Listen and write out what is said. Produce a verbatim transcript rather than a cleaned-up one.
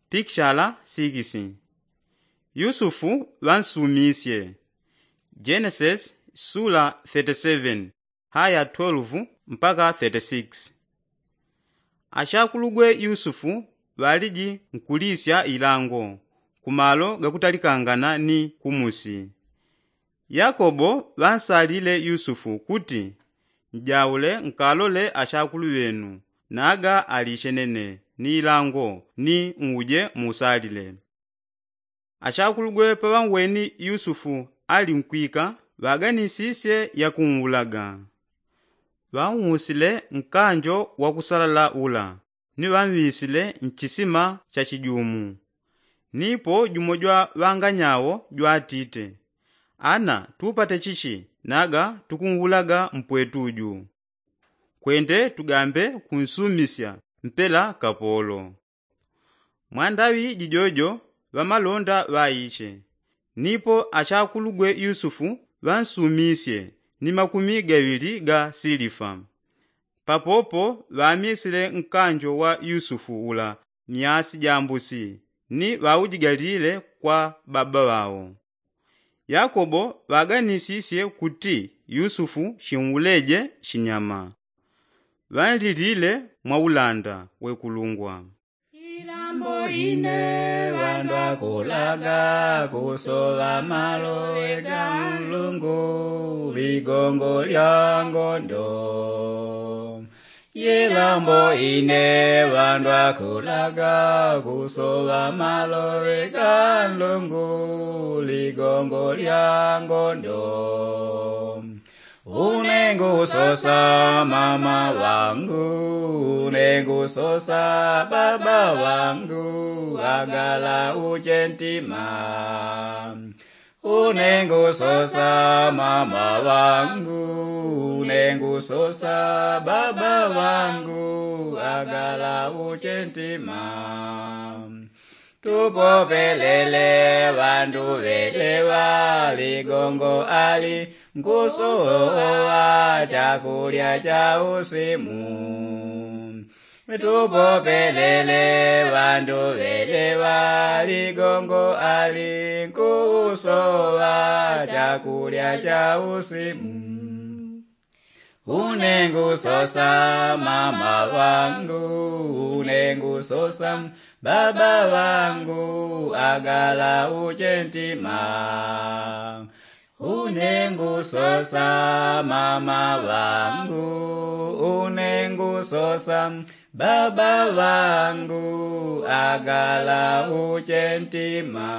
Pikishala sikisi. Yusufu ŵansumisye. Jenesis sula thirty-seven haya twelve mpaka thirty-six. Ashakulugwe yusufu ŵaliji nkulisya ilango kumalo gakutalikangana ni kumusi. Yakobo ŵansalile yusufu kuti, njaule nkalole ashakulu ŵenu naga alishe nene ni ilango ni uje muusalile. Ashakulugwe paŵanweni yusufu ali nkwika ŵaganisisye yakunwulaga. Ŵanwusile nkanjo wakusalala ula ni ŵanŵisile nchisima cha chijumu. Nipo jumo jwa ŵanganyawo jwatite, ana tupate chichi naga tukunwulaga mpwetu ju? Kwende tugambe kunsumisya mpela kapolo. Mwandaŵi jijojo ŵamalonda ŵaiche. Nipo ashakulugwe yusufu ŵansumisye ni makumi gaŵili ga silifa. Papopo ŵamisile nkanjo wa yusufu ula myasi jambusi ni ŵaujigalile kwa baba ŵao. Yakobo ŵaganisisye kuti yusufu shinwuleje shinyama. Ŵanlilile mwaulanda wekulungwa. Ilambo ine ŵandwakulaga kusoŵa maloŵe ga nlungu ligongo lya ngondo. Yelambo ine ŵandwakulaga kusoŵa maloŵe ga nlungu ligongo lya ngondo. Unengusosa mama ŵangu, unengusosa baba ŵangu, agala uche ntima. Unengusosa mama ŵangu, unengusosa baba ŵangu, agala uche ntima. Tupopelele ŵandu ŵeleŵa ligongo ali nkusoŵa chakulya cha usimu. Tupopelele ŵandu ŵeleŵa ligongo ali nkusoŵa chakulya cha usimu. Unengusosa mama ŵangu, unengusosa baba ŵangu, agala uche ntima. Unengusosa mama ŵangu, unengusosa baba ŵangu, agala uche ntima.